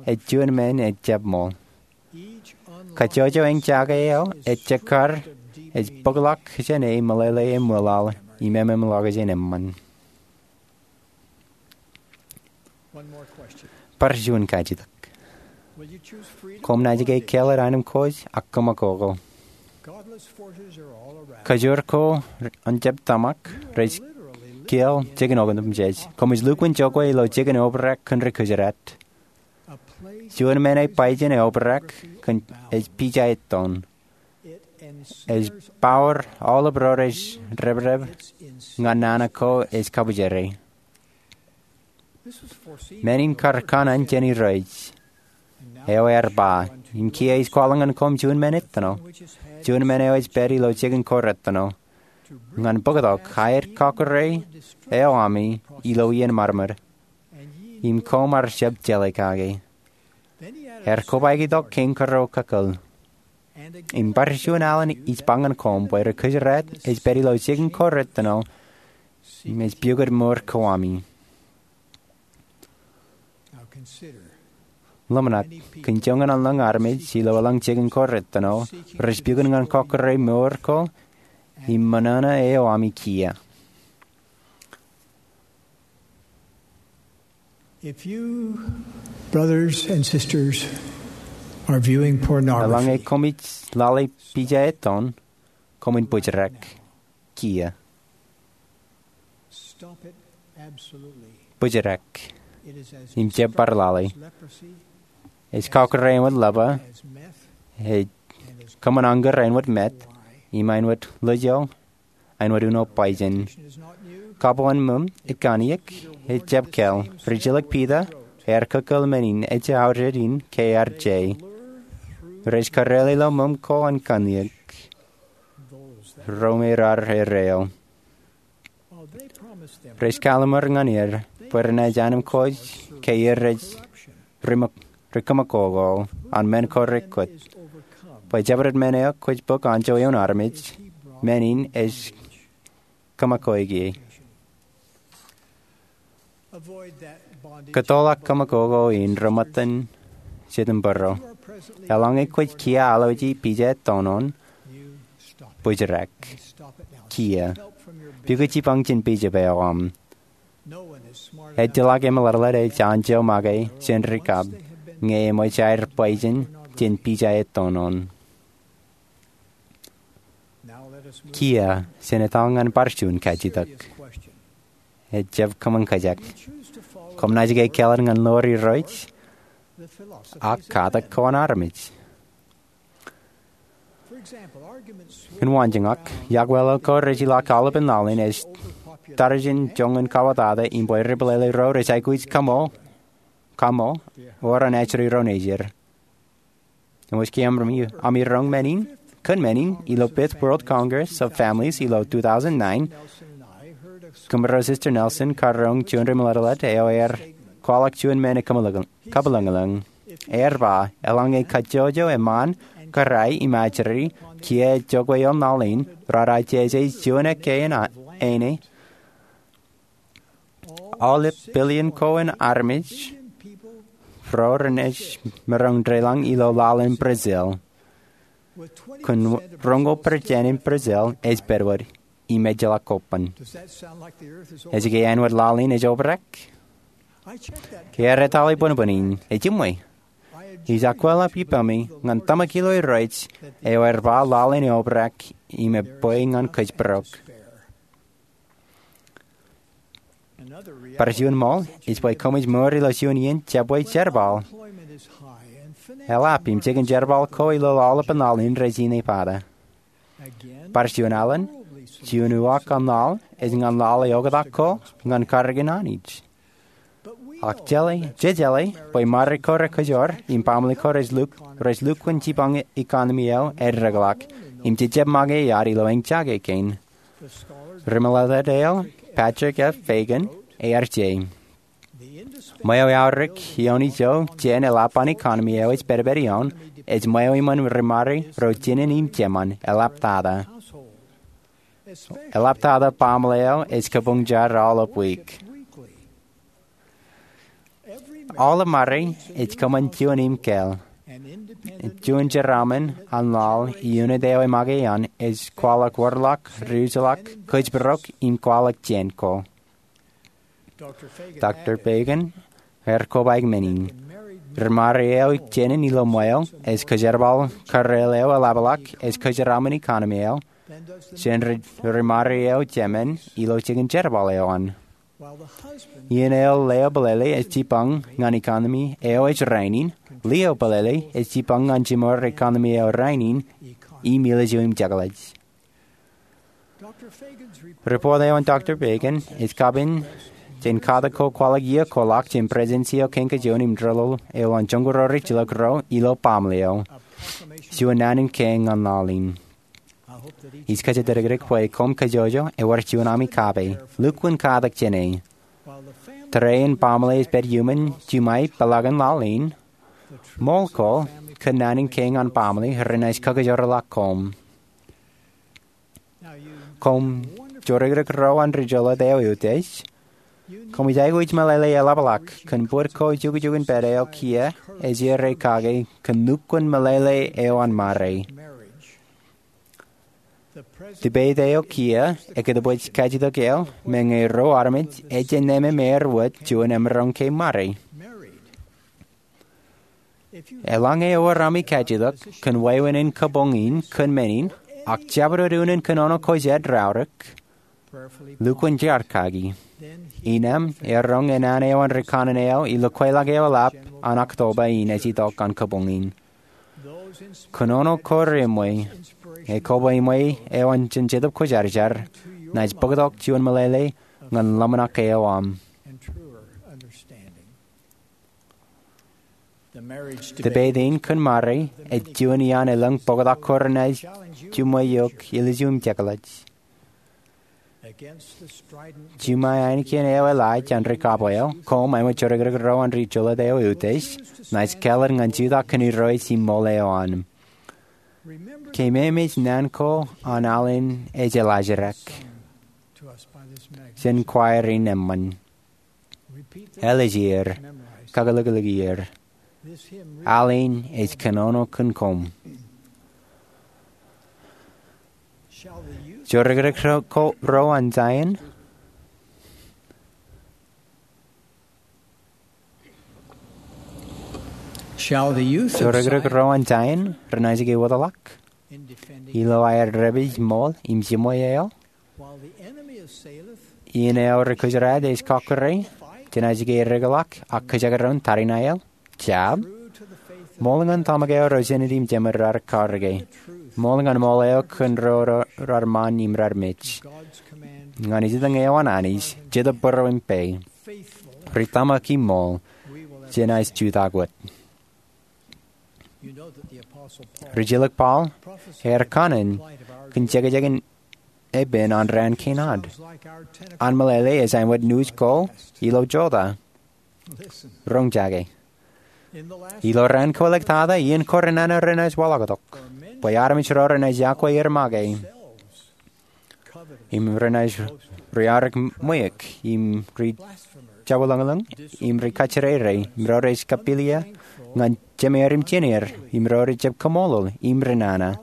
ej juon men ejjab ṃool. Kajjojo eñjake eo ej jekkar ej bōkḷọk jān e meḷeḷe eṃwilaḷ im ememḷọkjeṇ eṃṃan. Bar juon kajjitōk. Koṃ naaj ke kellet aenōṃ kōj ak kōṃakoko. Kajoor ko an jab tōmak rej kiiō jikin otemjej. Koṃij lukkuun jokwe ilo jikin obrak kōn ri-Gujarat. Juon men ej bajjin obrak kōn ej pija ettoon. ej power aolep ro rej reprep ñan nana ko ej kabwijere. Men in kar kanaan jān Irooj. Eo ear ba, im kiiō ij kwaḷọk ñan koṃ juon men ettino, juon men eo ej pād ilo jikin ko rettino, ñan bōktok aer kọkkure eo ami ilo iien ṃadṃōd, im koṃ ar jab jeḷā kake. Ear kobaik itok kein kōrā kōkōl. Im bar juon alen ij ba ñan koṃ bwe ri kōjdat ej pād ilo jikin ko rettino im ej pukot mour ko ami. Ḷōmṇak, kōn joñan eṇ ḷọk armej ilo eḷaññe jikin ko rettino rej pukot ñan kọkkure mour ko im ṃōṇōṇō eo ami kiiō. If you, brothers and sisters, are viewing pornography, Eḷaññe koṃij lale pija ettoon, koṃwin bōjrak kiiō. Stop it absolutely. Bōjrak. It is as Im jab bar lale. Leprosy, Ej kọkkure āinwōt lepra, as meth, ej kōṃṃan añkōr āinwōt meth, im āinwōt lojo, āinwōt uno poison. Kabwaan ṃōm, ikkanniōk, ejjab kāāl. Rijilōk Piter, ear kōkōl men in ej aorōk in ke ear je. Rej kareel ilo ṃōm ko an kanniōk. Ro me raar erreo. Rej kalimur ñan er bwe renaaj anemkwōj ke er rej ri kōmakoko an men ko rekwoot. Bwe jabdewōt men eo kwōj bōk anjọ eoon armej, men in ej kōmakoko ie. Kōttoḷọk kōmakoko in reṃōttan jitōnbōro. Eḷaññe kwōj kiiō alwōji pija ettoon oṇ, bōjrak kiiō. Pukot jipañ jān Bishop eo aṃ. Ejjeḷọk emeḷeḷeḷe ej anjọ make jān ri kab ñe eṃōj aer poison jān pija ettoon oṇ. Kiiō, jen etal ñan bar juon kajjitōk. Ejjab kōṃṃan kōjak. Koṃ naaj ke kāālōt ñan ḷoor Irooj ak katak ko an armej? Kōn waanjoñak, iọkweḷọk ko rej ilọk aolepān laḷ in ej tarjin joñan kawōtata im bwe ri pālele ro rej aikuj kamo, kamo, ewōr an ajri ro nejid. Eṃōj ke ami roñ men in, kōn men in, ilo Fifth World Congress of Families ilo two thousand nine, Kōmro Sister Nelson karoñ juon ri meḷeḷeḷe eo ear kwaḷọk juon men eo kabwilōñlōñ. Ear ba, eḷaññe kajjojo eṃṃan, kōrā im ajri, kiiō ejokwe ioon laḷ in, raar ajeje juon ekkā in āne, aolep billion ko an armej ro renaaj maroñ deḷọñ ilo laḷ in Brazil. Kōn roñoul percent in Brazil ej pedwōd im ejjeḷọk kobban. Ej ke āinwōt laḷ in ej obrak? Ear etale bōnbōn in, ejiṃwe. Ij akwālō ippaṃ ñan tōmak ilo Irooj eo ear ba laḷ in eobrak im ebwe ñan kōjparok. Bar juon ṃool ej bwe koṃij mour ilo juon iien jabwe jerbal. Eḷap im jikin jerbal ko ilo aolepān laḷ in rej inepata. Bar juon alen, juon uwaak an laḷ ej ñan laḷ eo oktak ko ñan karōk in Anij. Ak jeḷā, jejeḷā bwe ṃare ko rekajoor im baaṃle ko rej lukkuun jipañ economy eo eddekḷọk im jejjab make iyad ilo eñjake kein. Ri meḷeḷeḷe eo, Patrick F. Fagan, ear je. Ṃweo eaorōk ioon ijo jān eḷap an economy eo ej pedped ioon, ej ṃweo iṃōn ri ṃare ro jinen im jeṃṃan, eḷaptata. Eḷaptata baaṃle eo ej kabuñjar aolep wiik. Aolep ṃare ej kōṃṃan juon im kāāl. Juon jeraaṃṃan an laḷ ioon eo ej make ioon ej kwaḷọk wōrḷọk, riwōjḷọk, kōjparok im kwaḷọk jān ko. Doctor Fagan ear kobaik men in. Ri ṃare eo jinen ilo ṃweo ej kōjerbal kareel eo eḷapḷọk ej kōjeraaṃṃan economy eo jān ri ṃare eo jeṃṃan ilo jikin jerbal eo an. Iien eo leo pelele ej jipañ ñan economy eo ej rainin, lio pelele ej jipañ ñan jiṃor economy eo rainin, im ilju im jekḷaj. Ripot eo an Doctor Fagan ej kapen jān katak ko kwaḷọk iiō kwaḷọk jān Presidensi eo Kein Kajjojo im Ri-Ḷoḷ eo an Joñoul Ri Jilkinro ilo Baaṃle eo, juon naan in kein ñan laḷ in. Ij kajjitōk bwe koṃ kajjojo ewōr juon ami kape. Lukkuun katak jāne. Tōre in baaṃle ej pād iuṃwin jiṃa peḷaakin laḷ in, ṃool ko kōn naan in kein ñan baaṃle renaaj kakōjorḷọk koṃ. Koṃ jorikrek ro an ri-Jolōt eo eutiej. Koṃij aikuj meḷeḷe eḷapḷọk kōn bōd ko jukjuk in pād eo kiiō ej errā kake kōn lukkuun meḷeḷe eo an ṃare. Debate eo kiiō ekōtbwej kajjitōk eo me ñe ruo armej ejjab ṇemem er wōt juon emaroñ ke ṃare. Eḷaññe ewōr ami kajjitōk kōn wāween in kabuñ in kōn men in, ak jabdewōt unin kōn oṇō ko jeraorōk, lukkuun jaar kaki. Innām eroñ enana eo an ri kanaan eo ilo kweilọk eo eḷap an October in ej itok an kabuñ in. Kōn oṇō ko reṃwe, ekwe iṃwe eo an jen Jetōb Kwōjarjar naaj bōktok juon meḷeḷe ñan ḷōmṇak eo aṃ. Debate in kōn ṃare ej juon iaan elōñ bōktok ko renaaj juṃwe eok ilju im jekḷaj. Jiṃa ainikien eo eḷaaj an ri kab eo, koṃ āinwōt jorikrek ro an ri-Jolōt eo eutiej, naaj kālet ñan jutak kōn Irooj im ṃool eo an. Keememej naan ko an al in ej eḷajrak jān choir in eṃṃan. Ālikier, kakilōklōkier. Al in ej kōnono kōn koṃ. Jorikrek ro, ko, ro an Zion. Shall the youth of Jorikrek Zion ro an Zion renaaj ke wōtlọk ilo aer dāpij ṃool im jiṃwe eo? While the enemy assaileth, Iien eo ri-Kūjraet ej kọkkure, jenaaj ke eddekḷọk ak kajekdọọn tariṇae eo? Jab. Ṃool ñan tōmak eo ro jenit im jemed raar kaorōke. Ṃool ñan ṃool eo kōn ro raar ṃaan im raar mej. Ñan ejitōñ eo an Anij, Jetōb būruō im pā. Ri tōmak im ṃool, jenaaj jutak wōt. Rijilōk Paul ear kanaan kōn jekjek in epen an raan kein ad. An meḷeḷe ej āinwōt nuuj ko ilo jota. Roñjake. Ilo raan kōwōlektata iien ko renana renaaj waḷọktok bwe armej ro renaaj yokwe er make, im renaaj riaorōk ṃweiuk, im ri jabwilōñlōñ, im ri kajjirere, im ro rej kapilia ñan jemeer im jeneer, im ro rejjab kaṃṃoolol im renana,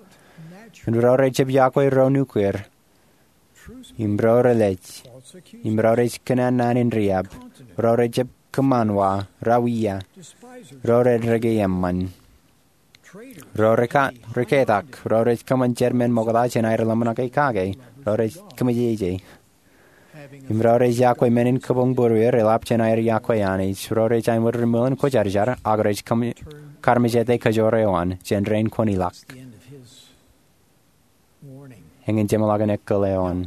im ro rejjab yokwe ro nukier, im ro relej, im ro rej kōnnaan in riab, ro rejjab kōṃṃan wa, rawiia, ro redeke eṃṃan, ro reka, reketak, ro rej kōṃṃan jermen ṃokta jān aer ḷōmṇake kake, ro rej kōmmejeje, im ro rej yokwe men in kabuñ būrueir eḷap jān aer yokwe Anij, ro rej āinwōt ri-mool in kwōjarjar, ak rej kōm, karmejete kajoor eo an jān rein kwōn ilọk. Eñin jeṃḷọkin ekkal eo an.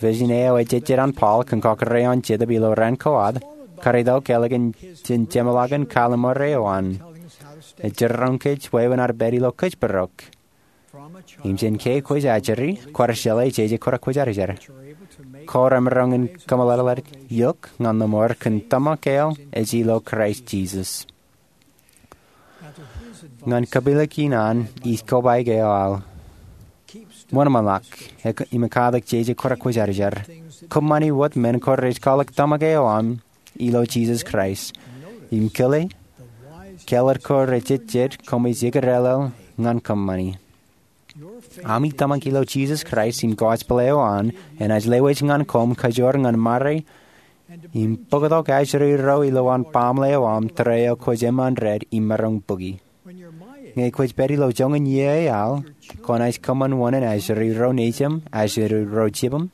Vision eo ejejjet an Paul kōn kọkkure eo an Jetōb ilo raan ko ad, karitok ālikin jān jeṃḷọkin kalimur eo an. Ej jiroñ kōj wāween ad pād ilo kōjparok. Im jān ke kwōj ajri, kwōj jeḷā jeje kōrā kwōjarjar. Kwōj remaroñ in kōmeḷeḷe eok ñan lọmọọr kōn tōmak eo ej ilo Kraist Jisōs. Ñan kapilōk in an ij kobaik eo aō. Wōnṃaanḷọk im ekkatak jeje kōrā kwōjarjar. Kōṃṃani wōt men ko rej kwaḷọk tōmak eo aṃ ilo Jisōs Kraist. Im kile, kāālōt ko rejejjet koṃij ekdālō ñan kōṃṃani. Ami tōmak ilo Jisōs Kraist im gospel eo an enaaj lewōj ñan koṃ kajoor ñan ṃare im bōktok ajri ro ilowaan baaṃle eo aṃ tōre eo kwōj eṃṃan ded im maroñ bōki. Ñe kwōj pād ilo joñan iiō eaḷ, kwōnaaj kōṃṃan wōṇāān ajri ro nejūṃ, ajri ro jibūṃ,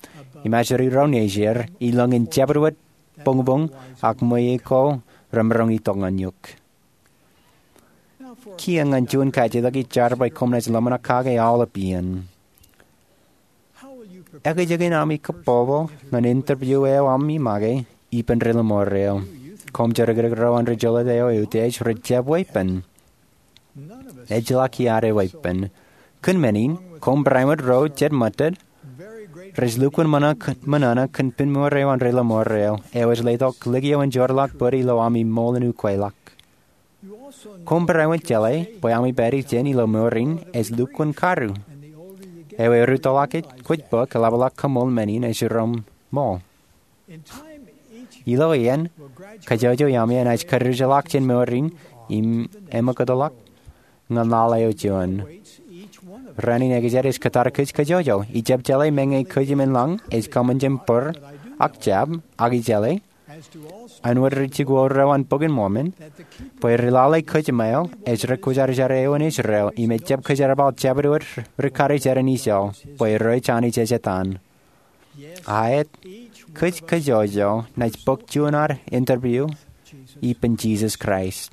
im ajri ro nejier, ilọñin jabdewōt boñboñ ak ṃweiuk ko remaroñ itok ñan eok. Kiiō ñan juon kajjitōk ij jar bwe koṃ naaj ḷōmṇak kake aolep iien. Ekōjkan ami kōpopo ñan interview eo ami make ippān ri-lọmọọr eo. Koṃ jodikdik ro an ri-jolōt eo eutiej rej jab weeppān. Ejjeḷọk iaad eweeppān. Kōn men in, koṃ barāinwōt ro jet mōttad rej lukkuun ṃōṇōṇō kōn pinmour eo an ri-lọmọọr eo, eo ej letok likio in joorḷọk bōd ilo ami ṃool in ukweḷọk. Koṃ barāinwōt jeḷā bwe ami pād ijin ilo mour in ej lukkuun karu. Eo erūttoḷọk kwōj bōk eḷapḷọk kaṃool men in ej jiroṃ ṃool. Ilo iien, kajjojo iaami enaaj karijeḷọk jān mour in im eṃōkōtḷọk ñan laḷ eo juon. Rainin ekōjkan ej kōttar kōj kajjojo. Ij jab jeḷā meñe kōj im lañ ej kōṃṃan jān bōd ak jab, ak ij jeḷā, āinwōt ri-jikuuḷ ro an Bok in Mormon, bwe ri-lale kōjmāo ej ri-kwōjarjar eo an Israel im ejjab kōjerbal jabdewōt ri-karijer in Iso, bwe rej Anij ej etan. Aet, kōj kajjojo naaj bōk juon ad interview ippān Jisōs Kraist.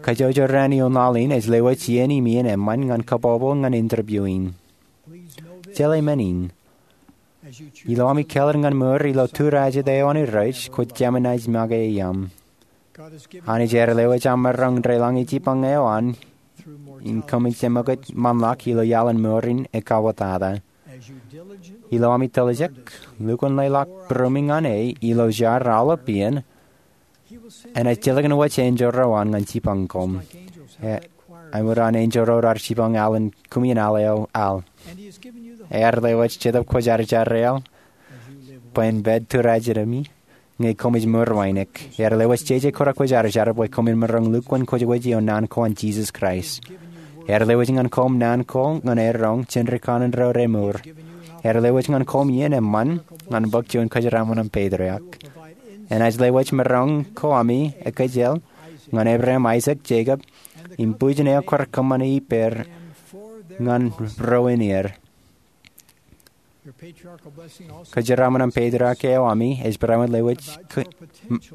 Kajjojo raan ioon laḷ in ej lewōj iien im iien eṃṃan ñan kōpopo ñan interview in. Jeḷā men in. Ilo ami kāālōt ñan mour ilo turajet eo an Irooj, kwōj kōm naaj make iaam. Anij ear lewōj aṃ maroñ deḷọñe jipañ eo an im kōmij eṃōkaj ṃanḷọk ilo iaḷ in mour in ekauwōtata. Ilo ami tiljek, lukkuun leḷọk būruemi ñan e ilo jar aolep iien, enaaj jilkinwōj enjeḷ ro an ñan jipañ koṃ. Āinwōt an enjeḷ ro raar jipañ aḷ in kūmien aḷ eo al. Ear lewōj Jetōb Kwōjarjar eo bwe en pād turajeimi ñe koṃij mour wānōk. Ear lewōj jeje kōrā kwōjarjar bwe koṃwin maroñ lukkuun kwōj wōj ioon naan ko an Jisōs Kraist. Ear lewōj ñan koṃ naan ko ñan eroñ jān ri kanaan ro remour. Ear lewōj ñan koṃ iien eṃṃan ñan bōk juon kōjeraaṃṃan im patriarch. Enaaj lewōj maroñ ko ami ekāāl ñan Ebream, Aisak, Jekob, im bwijin eo kwaar kōṃṃane ippāer ñan ro in er. Kōjeraaṃṃan im patriarch eo ami ej barāinwōt lewōj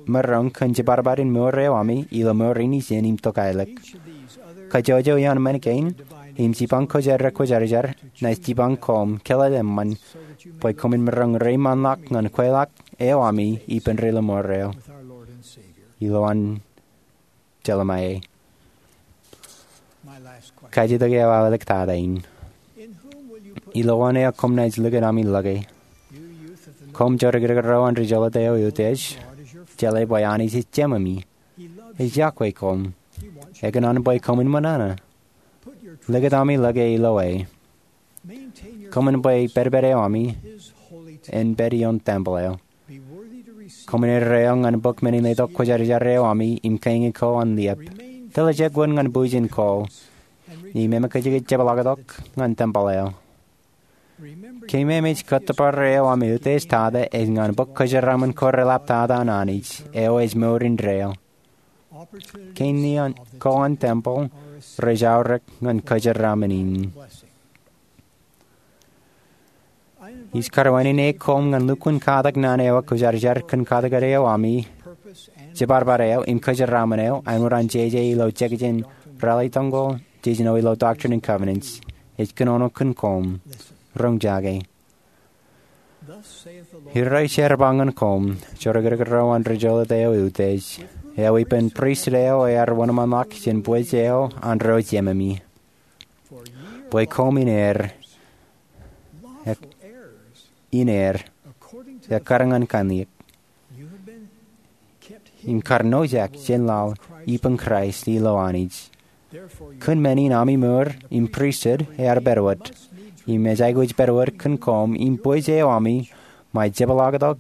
maroñ kōn jiparbaar in mour eo ami ilo mour in ijin im tokālik. Kajjojo iaan men kein im jipañ kōj ri-kwōjarjar naaj jipañ koṃ kōḷḷā eṃṃan bwe koṃwin maroñ reiṃaanḷọk ñan kweilọk eo ami ippān ri-lọmọọr eo. Ilo an jeḷā ṃae. Kajjitōk eo aō āliktata in. Ilo eo koṃ naaj likūt ami ḷọke? Koṃ jodikdik ro an ri-jolōt eo eutiej, jeḷā bwe Anij ej jememi. Ej iọkwe koṃ. Ekōṇaan bwe koṃwin ṃōṇōṇō. Likūt ami ḷọke ilo e. Koṃwin bwe pedped eo ami en pād ioon tempel eo. Koṃwin erreo ñan bōk men in letok kwōjarjar eo ami im kañin ko an liep. Tiljek wōt ñan bwijin ko im eṃōkajkij jepḷaaktok ñan tempel eo. Keememej kōttōpar eo ami eutiej tata ej ñan bōk kōjeraaṃṃan ko reḷaptata an Anij eo ej mour indeeo. Kein ko an tempel rej aorōk ñan kōjeraaṃṃan in. Ij karuwainene koṃ ñan lukkuun katak naan eo kwōjarjar kōn katak eo ami, jiparbar eo im kōjeraaṃṃan eo āinwōt an jeje ilo jekjek in Raleigh Toñko, jejino ilo Doctrine and Covenants. Ej kōnono kōn koṃ. Roñjake. Irooj ear ba ñan koṃ, jodikdik ro an ri-jolōt eo eutiej, eo ippān pristut eo ear wōnṃaanḷọk jān bwej eo an ro jememi, bwe koṃ in heir, in heir ekkar ñan kanniōk, im kar nojak jān laḷ ippān Kraist ilo Anij. Kōn men in ami mour im pristut ear pād wōt, im ej aikuj pād wōt kōn koṃ im bwej eo ami ṃae jepḷaaktok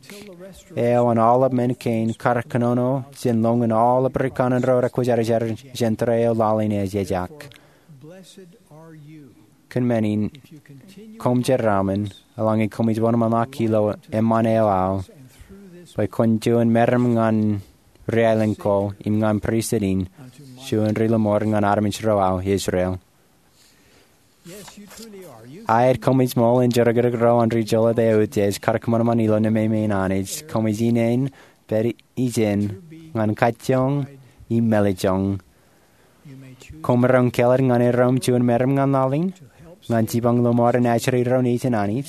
eo an aolep men kein kar kōnono jān lọñin aolep ri kanaan ro rekwōjarjar jān tōre eo laḷ in ej ejak. Kōn men in, koṃ jeraaṃṃan eḷaññe koṃij wōnṃaanḷọk ilo eṃṃan eo aō, bwe kwōn juon meram ñan ri-aelōñ ko im ñan pristut in, juon ri-lọmọọr ñan armej ro aō Israel. Aet, koṃij ṃool in jodikdik ro an ri-jolōt eo eutiej kar kōṃanṃan ilo nemāmein Anij. Koṃij ineen pād ijin ñan kajjoñ im mālejjoñ. Koṃ maroñ kāālōt ñan erom juon meram ñan laḷ in ñan jipañ lọmọọren ajri ro nejin Anij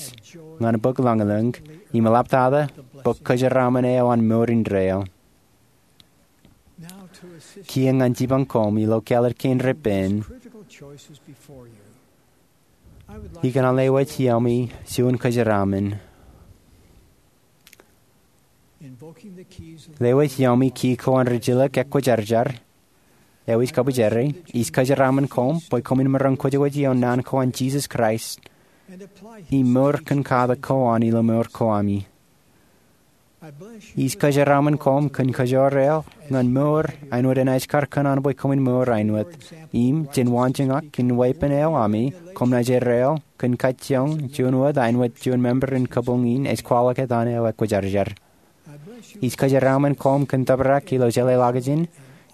ñan bōk lañlōñ im eḷaptata bōk kōjeraaṃṃan eo an mour indeeo. Kiiō ñan jipañ koṃ ilo kāālōt kein repen, ikōṇaan lewōj iaami juon kōjeraaṃṃan. Lewōj iaami ki ko an rijilōk ekwōjarjar eo ij kabwijere, ij kōjeraaṃṃan koṃ bwe koṃwin maroñ kwōjkwōj ioon naan ko an Jisōs Kraist im mour kōn katak ko an ilo mour ko ami. Ij kōjeraaṃṃan koṃ kōn kōjoor eo ñan mour āinwōt enaaj kar kōṇaan bwe koṃwin mour āinwōt. Im jān waanjoñak in weeppān eo ami, koṃ naaj erreo kōn kajjioñ juon wōt āinwōt juon member in kabuñ in ej kwaḷọk etan eo ekwōjarjar. Ij kōjeraaṃṃan koṃ kōn tōprak ilo jeḷāḷọkjeṇ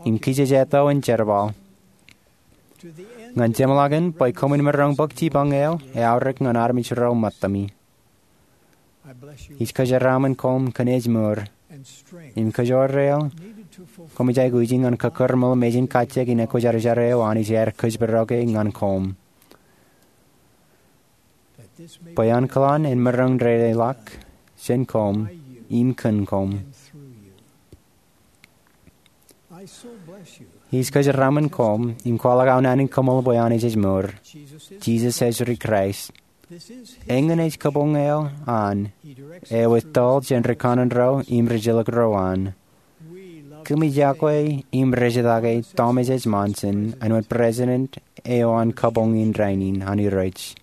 im kijejjeto in jerbal. Ñan jeṃḷọkin bwe koṃwin maroñ bōk jipañ eo eaorōk ñan armej ro ṃōttami. Ij kōjeraaṃṃan koṃ kōn ej mour im kōjoor eo koṃij aikuji ñan kōkōrṃool mejān kajjioñ in ekwōjarjar eo Anij ear kōjparok e ñan koṃ, bwe ankilaan en maroñ dedeḷọk jān koṃ im kōn koṃ. Ij kōjeraaṃṃan koṃ im kwaḷọk aō naan in koṃṃool bwe Anij ej mour. Jisōs ej ri Kraist. Eñin ej kabuñ eo an eo ettoḷ jān ri kanaan ro im ri jilōk ro an. Kōmij iọkwe im rejetake Thomas S. Monson āinwōt president eo an kabuñ in rainin an Irooj.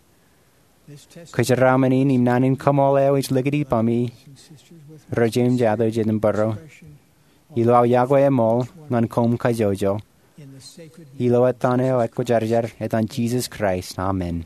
Kōjeraaṃṃan in im naan in koṃṃool eo ij likūt ippaṃ ro jeiū im jato jet im bōro ilo aō iọkwe eṃool ñan koṃ kajjojo. Ilo etan eo ekwōjarjar, etan Jisōs Kraist, amen.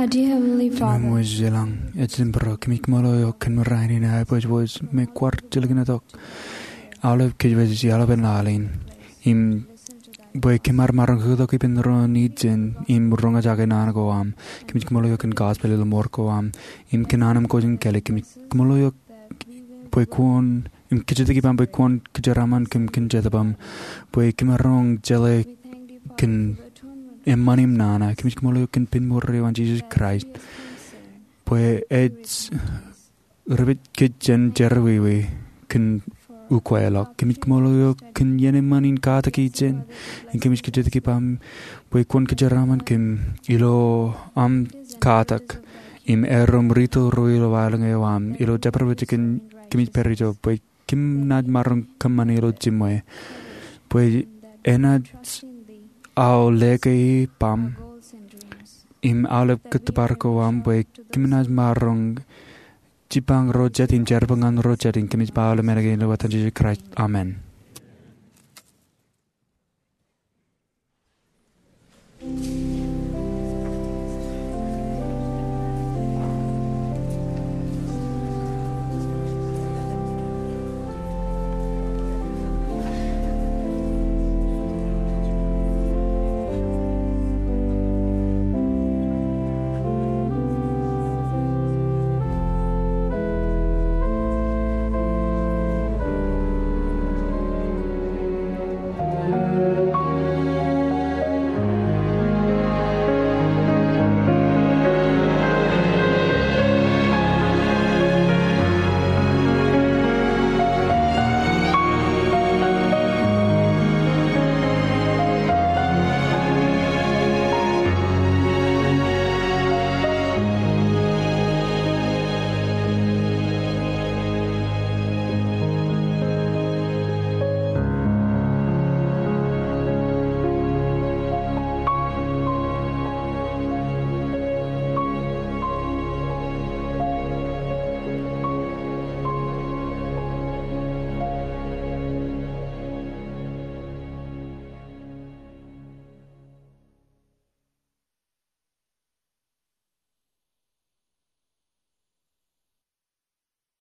Our dear Heavenly Father, Emanuel, ej ḷōmṇak, ej ḷōmṇak, kōmij kōṃṃool eok kōn rainin, aō pojpoj me kwaar jilkintok aolep kōjwōj, aolepān laḷ in. Im bwe kōm ar maroñ to ippān ro nejin im roñjake naan ko aṃ. Kōmij kōṃṃool eok kōn gospel ilo mour ko aṃ im kōn an aṃ kōj in kāālōt. Kōmij kōṃṃool eok bwe kwōn, im kōjatdikdik ippaṃ bwe kwōn kōjeraaṃṃan kōm kōn Jetōb aṃ, bwe kōm ar roñ jeḷā kōn eṃṃan im nana. Kōmij kōṃṃool eok kōn pen mour eo an Jesus Christ, bwe ej ri-pād kōj jān jerọwiwi kōn ukweḷọk. Kōmij kōṃṃool eok kōn iien eṃṃan in katak ijin, im kōmij kōjatdikdik ippaṃ bwe kwōn kōjeraaṃṃan kōm ilo aṃ katak im erom rūtto ro ilo waḷọk eo aṃ ilo jabdewōt jikin kōmij pād ijo, bwe kōm naaj maroñ kōṃṃane ilo jiṃwe, bwe enaaj aolep ke ippaṃ im aolep kōttōpar ko aṃ, bwe kōm naaj maroñ jibbañ ro jet im jerbal ñan ro jet. Im kōmij ba aolep men kein ilo etan Jesus Christ, amen.